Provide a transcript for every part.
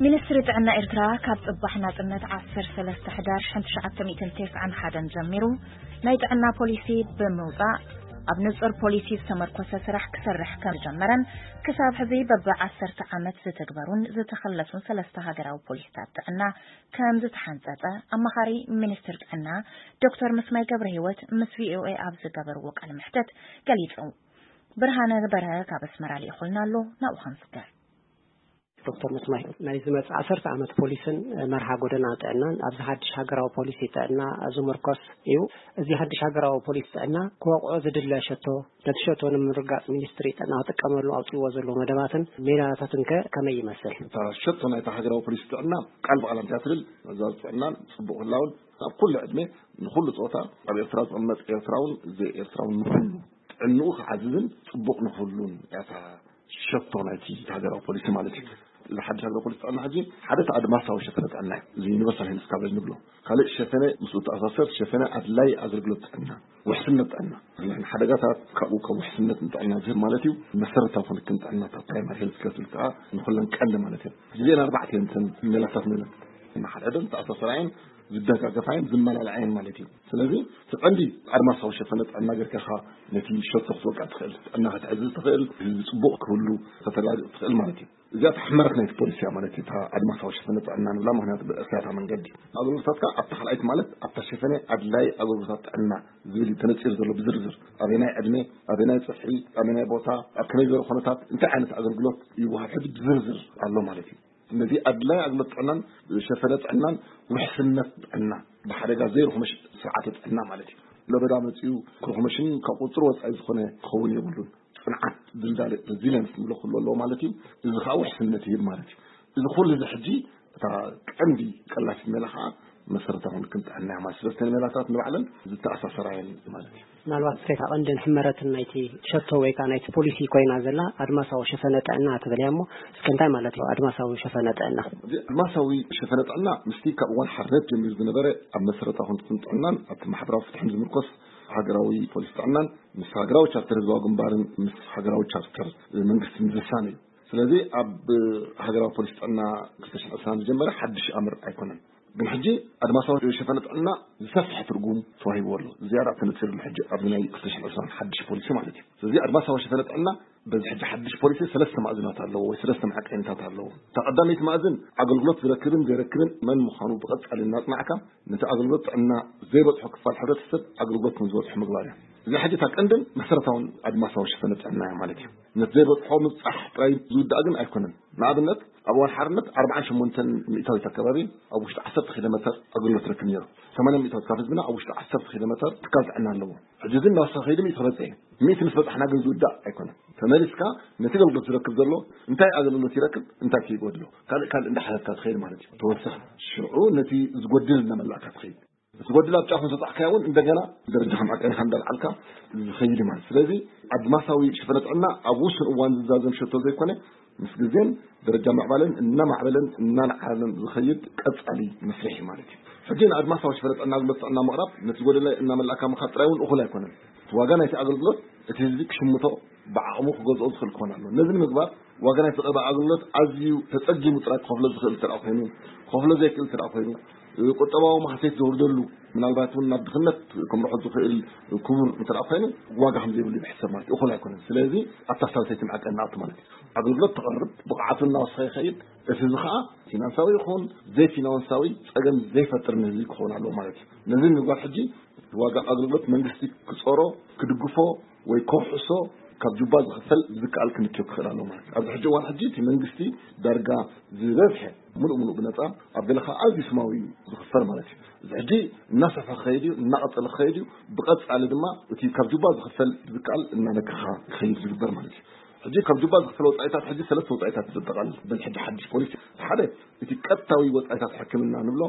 ሚኒስትሪ ጥዕና ኤርትራ ካብ ጽባሕ ናጽነት ዓሰርተ ሰለስተ ሕዳር ሸሕን ትሽዓተ ሚእትን ተስዓን ሓደን ጀሚሩ ናይ ጥዕና ፖሊሲ ብምውጻእ ኣብ ንጹር ፖሊሲ ዝተመርኮሰ ስራሕ ክሰርሕ ከም ዝጀመረን ክሳብ ሕዚ በብ ዓሰርተ ዓመት ዝተግበሩን ዝተኸለሱን ሰለስተ ሃገራዊ ፖሊሲታት ጥዕና ከም ዝተሓንጸጸ ኣማኻሪ ሚኒስትር ጥዕና ዶክተር ምስማይ ገብረ ህይወት ምስ ቪኦኤ ኣብ ዝገበርዎ ቃለ መሕተት ገሊጹ። ብርሃነ በረሀ ካብ ኣስመራ ልኢኹልና ኣሎ፣ ናብኡ ክንስገር። ዶክተር መስማይ፣ ናይ ዝመጽእ ዓሰርተ ዓመት ፖሊስን መርሃ ጎደና ጥዕናን ኣብዚ ሓድሽ ሃገራዊ ፖሊሲ ጥዕና ዝምርኮስ እዩ። እዚ ሓድሽ ሃገራዊ ፖሊሲ ጥዕና ክወቕዖ ዝድለ ሸቶ፣ ነቲ ሸቶ ንምርጋጽ ሚኒስትሪ ጥዕና ክጥቀመሉ ኣውጺዎ ዘሎ መደባትን ሜላታትን ከ ከመይ ይመስል? እታ ሸቶ ናይታ ሃገራዊ ፖሊሲ ጥዕና ቃል ብቓል እንተ ትብል፣ ምዕዛዝ ጥዕናን ጽቡቕ ህላውን ኣብ ኩሉ ዕድመ ንኹሉ ጾታ ኣብ ኤርትራ ዝቕመጥ ኤርትራውን ዘይኤርትራውን ንኹሉ ጥዕንኡ ክዓዝዝን ጽቡቕ ንኹሉን እያ እታ ሸቶ ናይቲ ሃገራዊ ፖሊሲ ማለት እዩ። እዚ ሓድሽ ሃገራዊ ፖሊሲ ጥዕና ሕጂ ሓደ እቲ ኣድማሳዊ ሸፈነ ጥዕና እዩ። እዚ ዩኒቨርሳል ሄልዝ ካቨሬጅ ንብሎ። ካልእ ሸፈነ ምስኡ ተኣሳሰር ሸፈነ ኣድላይ ኣገልግሎት ጥዕና፣ ውሕስነት ጥዕና። ንሕና ሓደጋታት ካብኡ ካብ ውሕስነት ንጥዕና ዝህብ ማለት እዩ። መሰረታዊ ክንክን ጥዕና እታ ፕራይማሪ ሄልዝ ኬር ትብል ከዓ ንኹለን ቀንዲ ማለት እዩ። እዚአን ኣርባዕተ እየን እተን ሜላታት ንብለን። ንሓድሕደን ተኣሳሰራየን ዝደጋገፋየን ዝመላለዓየን ማለት እዩ። ስለዚ እቲ ቀንዲ ኣድማሳዊ ሸፈነ ጥዕና ጌርካ ኢኻ ነቲ ሸቶ ክትወቅዕ ትኽእል፣ ጥዕና ክትዕዝዝ ትኽእል፣ ህዝቢ ጽቡቕ ክህሉ ከተረጋግጽ ትኽእል ማለት እዩ። እዚኣ እታ ሕመረት ናይቲ ፖሊሲ እያ ማለት እዩ። እታ ኣድማሳዊ ሸፈነ ጥዕና ንብላ፣ ምኽንያቱ ብእስያታ መንገዲ ኣገልግሎታትካ ኣብታ ካልኣይቲ ማለት ኣብታ ሸፈነ ኣድላይ ኣገልግሎታት ጥዕና ዝብል እዩ ተነጺሩ ዘሎ ብዝርዝር። ኣበናይ ዕድመ፣ ኣበናይ ጽፍሒ፣ ኣበናይ ቦታ፣ ኣብ ከመይ ዝበለ ኩነታት እንታይ ዓይነት ኣገልግሎት ይወሃብ ሕጂ ብዝርዝር ኣሎ ማለት እዩ። ነዚ ኣድላይ ኣገልግሎት ጥዕናን ሸፈነ ጥዕናን ውሕስነት ጥዕና ብሓደጋ ዘይርኹመሽ ስርዓተ ጥዕና ማለት እዩ። ለበዳ መጺኡ ክርኹመሽን ካብ ቁጽር ወጻኢ ዝኾነ ክኸውን የብሉን። ጽንዓት፣ ድልዳለ፣ ሬዚሊየንስ ንብሎ ኩሉ ኣለዎ ማለት እዩ። እዚ ከዓ ውሕስነት ይህብ ማለት እዩ። እዚ ኩሉ እዚ ሕጂ እታ ቀንዲ ቀላሲት ሜላ ከዓ መሰረታዊ ክንክን ጥዕና እያ ማለት። ስለስተን ሜላታት ንባዕለን ዝተኣሳሰራ እየን ማለት እዩ። ምናልባት እታ ቀንድን ሕመረትን ናይቲ ሸቶ ወይ ከዓ ናይቲ ፖሊሲ ኮይና ዘላ ኣድማሳዊ ሸፈነ ጥዕና ትብል እያ እሞ፣ እስከ እንታይ ማለት እዩ ኣድማሳዊ ሸፈነ ጥዕና? እዚ ኣድማሳዊ ሸፈነ ጥዕና ምስቲ ካብ እዋን ሓርነት ጀሚሩ ዝነበረ ኣብ መሰረታዊ ክንክን ጥዕናን ኣብቲ ማሕበራዊ ፍትሕን ዝምርኮስ ሃገራዊ ፖሊሲ ጥዕናን ምስ ሃገራዊ ቻርተር ህዝባዊ ግንባርን ምስ ሃገራዊ ቻርተር መንግስትን ዝሳነ እዩ። ስለዚ ኣብ ሃገራዊ ፖሊሲ ጥዕና ክልተ ሽሕን ዕስራን ዝጀመረ ሓድሽ ኣምር ኣይኮነን። ግን ሕጂ ኣድማሳዊ ሸፈነ ጥዕና ዝሰፍሐ ትርጉም ተዋሂብዎ ኣሎ። ዝያዳ ተነጺርሉ ሕጂ ኣብዚ ናይ ክልተ ሽሕን ዕስራን ሓድሽ ፖሊሲ ማለት እዩ። ስለዚ ኣድማሳዊ ሸፈነ ጥዕና በዚ ሕጂ ሓድሽ ፖሊሲ ሰለስተ ማእዝናት ኣለዎ ወይ ሰለስተ መዐቀኒታት ኣለዎ። እታ ቀዳመይቲ ማእዝን ኣገልግሎት ዝረክብን ዘይረክብን መን ምዃኑ ብቐጻሊ እናጽናዕካ ነቲ ኣገልግሎት ጥዕና ዘይበጽሖ ክፋል ሕብረተሰብ ኣገልግሎት ከም ዝበጽሖ ምግባር እያ። እዚ ሕጂ እታ ቀንድን መሰረታውን ኣድማሳዊ ሸፈነ ጥዕና እያ ማለት እዩ። ነቲ ዘይበጽሖ ምብጻሕ ጥራይ ዝውዳእ ግን ኣይኮነን። ንኣብነት ኣብ እዋን ሓርነት ኣርባዓን ሸሞንተን ሚእታዊት ኣከባቢ ኣብ ውሽጢ ዓሰርተ ኪሎ ሜተር ኣገልግሎት ረክብ ነይሩ። ሰማንያ ሚእታዊት ካብ ህዝብና ኣብ ውሽጢ ዓሰርተ ኪሎ ሜተር ትካል ጥዕና ኣለዎ። ሕጂ እዚ እናወሰኸ ከይዱ ሚእቲ ክበጽሕ እዩ። ሚእቲ ምስ በጻሕና ግን ዝውዳእ ኣይኮነን። ተመሊስካ ነቲ ኣገልግሎት ዝረክብ ዘሎ እንታይ ኣገልግሎት ይረክብ፣ እንታይ ከይጎድሎ፣ ካልእ ካልእ እንዳሓለፍካ ትኸይድ ማለት እዩ። ተወሰኽ ሽዑ ነቲ ዝጎድል እናመላእካ ትኸይድ። እቲ ጎድል ኣብ ጫፉ እንተጻሕካዮ እውን እንደገና ደረጃ ከም ዓቀንካ እንዳልዓልካ ዝኸይድ ማለት። ስለዚ ኣድማሳዊ ሽፈነ ጥዕና ኣብ ውሱን እዋን ዝዛዘም ሸቶ ዘይኮነ ምስ ግዜን ደረጃ ምዕባለን እናማዕበለን እናነዓረለን ዝኸይድ ቀጻሊ መስርሕ እዩ ማለት እዩ። ሕጂ ንኣድማሳዊ ሽፈነ ጥዕና ኣገልግሎት ጥዕና ምቕራብ ነቲ ጎደለ እናመላእካ ምኻድ ጥራይ እውን እኹል ኣይኮነን። እቲ ዋጋ ናይቲ ኣገልግሎት እቲ ህዝቢ ክሽምቶ ብዓቕሙ ክገዝኦ ዝኽእል ክኾን ኣለዎ። ነዚ ንምግባር ዋጋ ናይ ዝቐረበ ኣገልግሎት ኣዝዩ ተጸጊሙ ጥራይ ክኸፍሎ ዝኽእል እንተ ደኣ ኮይኑ፣ ክኸፍሎ ዘይክእል እንተ ደኣ ኮይኑ፣ ቁጠባዊ ማህሰይት ዘውርደሉ፣ ምናልባት እውን ናብ ድኽነት ከምርሖ ዝኽእል ክቡር እንተ ደኣ ኮይኑ፣ ዋጋ ከም ዘይብሉ ይሕሰብ ማለት እዩ። እኹል ኣይኮነን። ስለዚ ኣብታ ሳልሰይቲ መዐቀኒ ንኣቱ ማለት እዩ። ኣገልግሎት ተቕርብ፣ ብቕዓቱ እናወሰኸ ይኸይድ። እቲ እዚ ኸኣ ፊናንሳዊ ይኹን ዘይፊናንሳዊ ጸገም ዘይፈጥር ንህዝቢ ክኸውን ኣለዎ ማለት እዩ። ነዚ ንምግባር ሕጂ ዋጋ ኣገልግሎት መንግስቲ ክጾሮ፣ ክድግፎ ወይ ከውሕሶ ካብ ጁባ ዝኽፈል ዝከኣል ክንክዮ ክኽእል ኣለዎ ማለት እዩ። ኣብዚ ሕጂ እዋን ሕጂ እቲ መንግስቲ ዳርጋ ዝበዝሐ ምሉእ ምሉእ ብነጻ፣ ኣብ ገለ ኸኣ ኣዝዩ ስማዊ እዩ ዝኽፈል ማለት እዩ። እዚ ሕጂ እናሰፍሐ ክኸይድ እዩ፣ እናቐጸለ ክኸይድ እዩ። ብቐጻሊ ድማ እቲ ካብ ጁባ ዝኽፈል ዝከኣል እናነከኻ ክኸይድ ዝግበር ማለት እዩ። ሕጂ ካብ ጁባ ዝኽፈል ወጻኢታት ሕጂ ሰለስተ ወጻኢታት ዘጠቓልል በዚ ሕጂ ሓድሽ ፖሊሲ። ሓደ እቲ ቀጥታዊ ወጻኢታት ሕክምና ንብሎ፣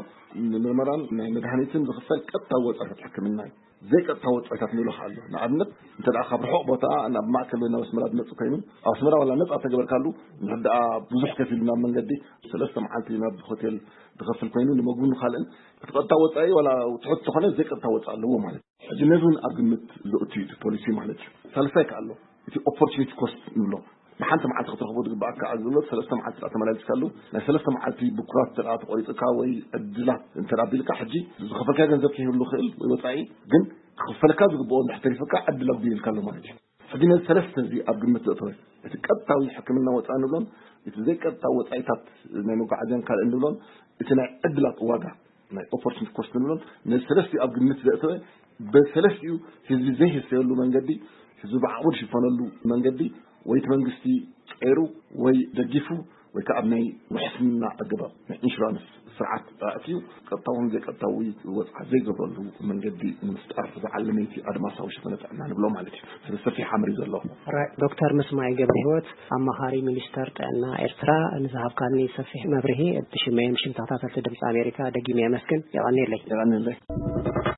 ንምርመራን ናይ መድሃኒትን ዝኽፈል ቀጥታዊ ወጻኢታት ሕክምና እዩ። ዘይቀጥታዊ ወጻኢታት ንብሎ ኸኣ ኣሎ። ንኣብነት እንተ ደኣ ካብ ርሑቕ ቦታ ናብ ማእከል ወይ ናብ ኣስመራ ዝመጽእ ኮይኑ፣ ኣብ ኣስመራ ዋላ ነጻ ተገበርካሉ፣ እንድሕር ደኣ ብዙሕ ከፊሉ ናብ መንገዲ ሰለስተ መዓልቲ ናብ ሆቴል ዝኸፍል ኮይኑ፣ ንምግብን ካልእን፣ እቲ ቀጥታ ወጻኢ ዋላ ትሑት ተኾነ ዘይቀጥታ ወጻኢ ኣለዎ ማለት እዩ። ሕጂ ነዚ እውን ኣብ ግምት ዘእቱ እዩ እቲ ፖሊሲ ማለት እዩ። ሳልሳይ ከኣ ኣሎ፣ እቲ ኦፖርቹኒቲ ኮስት ንብሎ። ንሓንቲ መዓልቲ ክትረኽቦ ዝግባኣካ ኣገልግሎት ሰለስተ መዓልቲ ተመላሊስካሉ፣ ናይ ሰለስተ መዓልቲ ብኩራት ተቆይጥካ ወይ ዕድላት እንተ ኣቢልካ፣ ሕጂ ዝኸፈልካ ገንዘብ ክህሉ ይኽእል ወይ ወፃኢ፣ ግን ክኽፈልካ ዝግብኦ እንድሕር ተሪፍካ ዕድል ኣጉዲልካ ኣሎ ማለት እዩ። ሕጂ ነዚ ሰለስተ እዚ ኣብ ግምት ዘእተወ፣ እቲ ቀጥታዊ ሕክምና ወፃኢ ንብሎን እቲ ዘይቀጥታዊ ወፃኢታት ናይ መጓዓዝያን ካልእ ንብሎን፣ እቲ ናይ ዕድላት ዋጋ ናይ ኦፖርቹኒቲ ኮስት ንብሎን፣ ነዚ ሰለስቲኡ ኣብ ግምት ዘእተወ፣ በሰለስቲኡ ህዝቢ ዘይህሰየሉ መንገዲ፣ ህዝቢ ብዓቕሙ ዝሽፈነሉ መንገዲ፣ ወይ እቲ መንግስቲ ቀይሩ ወይ ደጊፉ፣ ወይ ከዓ ኣብ ናይ ውሕስና ኣገባብ ናይ ኢንሹራንስ ስርዓት ኣእትዩ ቀጥታውን ዘይቀጥታዊ ወፅዓ ዘይገብረሉ መንገዲ ንምፍጣር ዝዓለመ እቲ ኣድማሳዊ ሽፈነ ጥዕና ንብሎ ማለት እዩ። ስለዚ ሰፊሕ ኣምር እዩ ዘለዎ። ዶክተር ምስማይ ገብረ ህይወት፣ ኣማኻሪ ሚኒስተር ጥዕና ኤርትራ፣ ንዝሃብካኒ ሰፊሕ መብርሂ ብሽመይን ብሽም ተኸታተልቲ ድምፂ ኣሜሪካ ደጊመ የመስግን። የቐንየለይ። የቐንየለይ።